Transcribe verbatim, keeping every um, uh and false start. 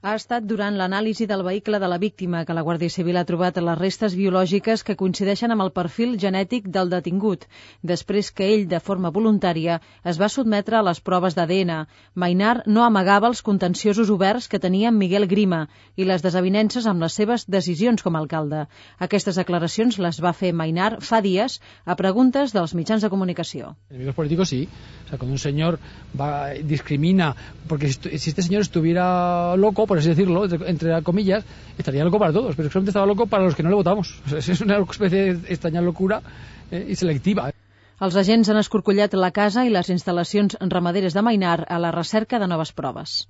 Ha estat durant l'anàlisi del vehicle de la víctima que la Guàrdia Civil ha trobat les restes biològiques que coincideixen amb el perfil genètic del detingut, després que ell, de forma voluntària, es va sotmetre a les proves d'A D N. Mainar no amagava els contenciosos oberts que tenia amb Miguel Grima i les desavinences amb les seves decisions com a alcalde. Aquestes declaracions les va fer Mainar fa dies a preguntes dels mitjans de comunicació. Enemigos políticos sí. O sea, cuando un señor va, discrimina, porque si este señor estuviera loco, por así decirlo, entre, entre comillas, estaría loco para todos, pero solamente estaba loco para los que no le votamos. O sea, es una especie de extraña locura eh, y selectiva. Els agents han escorcollat la casa i les instal·lacions ramaderes de Mainar a la recerca de noves proves.